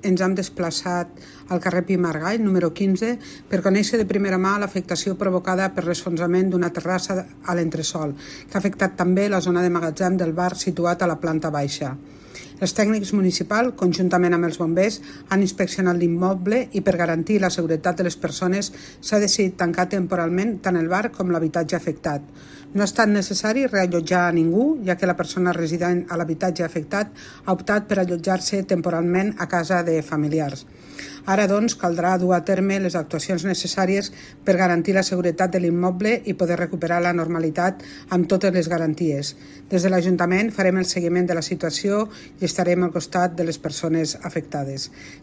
ens hem desplaçat al carrer Pi Margall, número 15, per conèixer de primera mà l'afectació provocada per l'esfonsament d'una terrassa a l'entresòl, que ha afectat també la zona de magatzem del bar situat a la planta baixa. Els tècnics municipals, conjuntament amb els bombers, han inspeccionat l'immoble i per garantir la seguretat de les persones s'ha decidit tancar temporalment tant el bar com l'habitatge afectat. No ha estat necessari reallotjar a ningú, ja que la persona resident a l'habitatge afectat ha optat per allotjar-se temporalment a casa de familiars. Ara, doncs, caldrà dur a terme les actuacions necessàries per garantir la seguretat de l'immoble i poder recuperar la normalitat amb totes les garanties. Des de l'Ajuntament farem el seguiment de la situació i estarem al costat de les persones afectades.